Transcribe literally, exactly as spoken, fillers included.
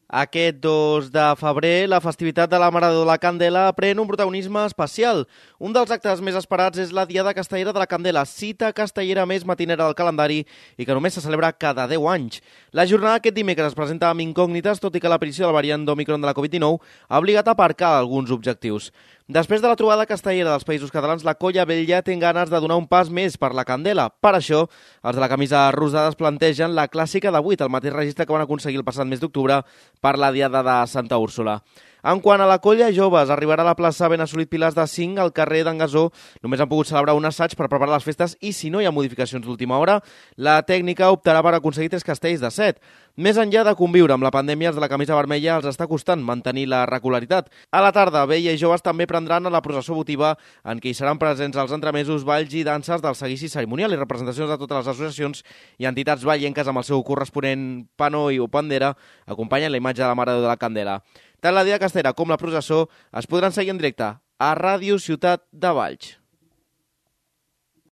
Aquest dos de febrer, la festivitat de la Mare de la Candela pren un protagonisme especial. Un dels actes més esperats és la Diada Castellera de la Candela, cita castellera més matinera del calendari i que només se celebra cada deu anys. La jornada aquest dimecres es presenta amb incògnites, tot i que l'aparició del variant d'Omicron de la Covid dinou ha obligat a aparcar alguns objectius. Després de la trobada castellera dels Països Catalans, la Colla Vella té ganes de donar un pas més per la Candela. Per això, els de la camisa rosada es plantegen la clàssica de vuit, el mateix registre que van aconseguir el passat mes d'octubre per la Diada de Santa Úrsula. En quant a la Colla Joves, arribarà a la plaça Ben Assolit Pilars de cinc al carrer d'en Gasó. Només han pogut celebrar un assaig per preparar les festes i, si no hi ha modificacions d'última hora, la tècnica optarà per aconseguir tres castells de set. Més enllà de conviure amb la pandèmia, els de la camisa vermella els està costant mantenir la regularitat. A la tarda, Vella i Joves també prendran a la processó votiva, en què hi seran presents els entremesos, balls i danses del seguici cerimonial i representacions de totes les associacions i entitats vallenques amb el seu corresponent panoi o bandera, acompanyen la imatge de la Mare de la Candela. Tant la Diada Castellera com la processó es podran seguir en directe a Ràdio Ciutat de Valls.